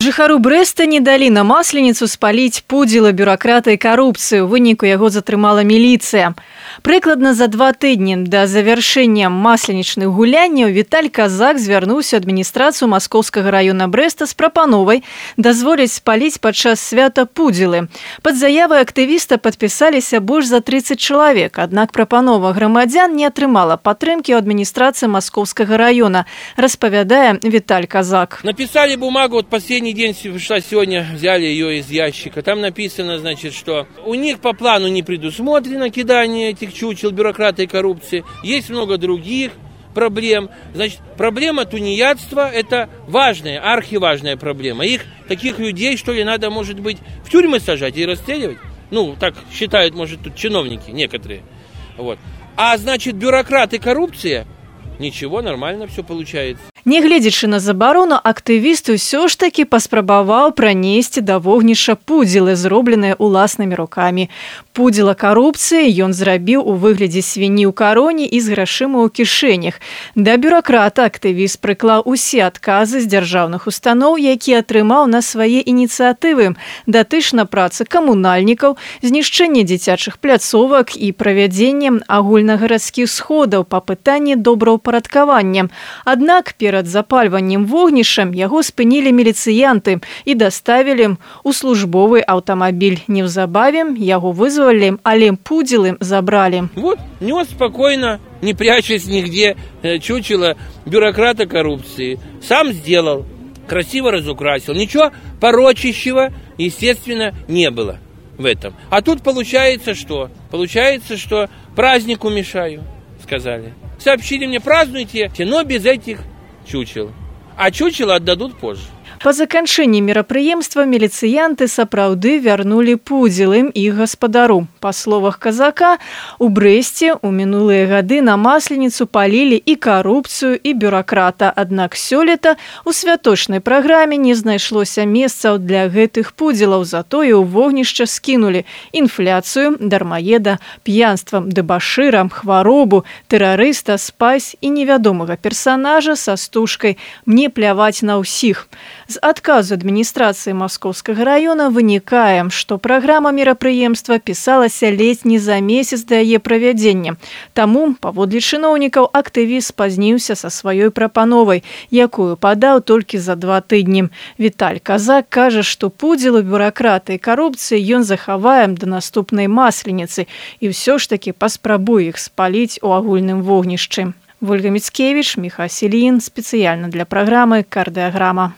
Жыхару Брэста не далі на Масленіцу спаліць пудзіла бюракрата і карупцыю. У выніку яго затрымала міліцыя. Прыкладна за 2 тыдні да завяршэння масленічных гулянняў Віталь Казак звярнуўся ў адміністрацыю Маскоўскага раёна Брэста з прапановай дазволіць спаліць падчас свята пудзілы. Пад заявай актывіста падпісаліся больш за 30 чалавек, аднак прапанова грамадзян не атрымала падтрымкі ў адміністрацыі Маскоўскага раёна, распавядае Віталь Казак. Написали бумагу, вот последний день вышла сегодня, взяли ее из ящика. Там написано, значит, что у них по плану не предусмотрено кидание этих чучел, бюрократа и коррупции. Есть много других проблем. Значит, проблема тунеядства – это важная, архиважная проблема. Их, таких людей, что ли, надо, может быть, в тюрьмы сажать и расстреливать? Ну, так считают, может, тут чиновники некоторые. Вот. А значит, бюрократ и коррупция – ничего, нормально все получается. Нягледзячы на забарону, актывіст усё ж такі паспрабаваў пранесці да вогнішча пудзілы, зробленыя уласнымі рукамі. Пудзіла карупцыі ён зрабіў у выглядзе свіні ў кароне і з грашыма ў кішэнях. Да бюракрата актывіст прыклаў усе адказы з дзяржаўных устаноў, якія атрымаў на свае ініцыятывы, датычна працы камунальнікаў, знішчэння дзіцячых пляцовак і правядзеннем агульнагарадскіх сходаў па пытанні добраўпарадкавання. Аднак перад запальваннем вогнішчам яго спынілі міліцыянты і даставілі ў службовы аўтамабіль. Неўзабаве яго вызвалі, але пудзілы забралі. Вот, нес спокойно, не прячась нигде, чучело бюрократа коррупции. Сам сделал, красиво разукрасил. Ничего порочащего, естественно, не было в этом. А тут получается что? Получается, что празднику мешаю, сказали. Сообщили мне, празднуйте, но без этих чучел. А чучела отдадут позже. Па заканчэнні мерапрыемства міліцыянты сапраўды вярнулі пудзілы і гаспадару. Па словах Казака, у Брэсце ў мінулыя гады на Масленіцу палілі і карупцыю, і бюракрата. Аднак сёлета у святочнай праграме не знайшлося месцаў для гэтых пудзілаў, затое ў вогнішча скінулі інфляцыю, дармаеда, п'янства, дэбашыра, хваробу, тэрарыста, спайс і невядомага персанажа са стужкай «Мне пляваць на ўсіх». З адказу адміністрацыі Маскоўскага раёна вынікае, што праграма мерапрыемства пісалася ледзь не за месяц да яе правядзення. Таму, паводле чыноўнікаў, актывіст спазніўся са сваёй прапановай, якую падаў толькі за 2 тыдні. Віталь Казак кажа, што пудзілы бюракрата і карупцыі ён захавае да наступнай Масленіцы і ўсё ж такі паспрабуе іх спаліць у агульным вогнішчы. Вольга Міцкевіч, Міха Селін, спецыяльна для праграмы «Кардыаграма».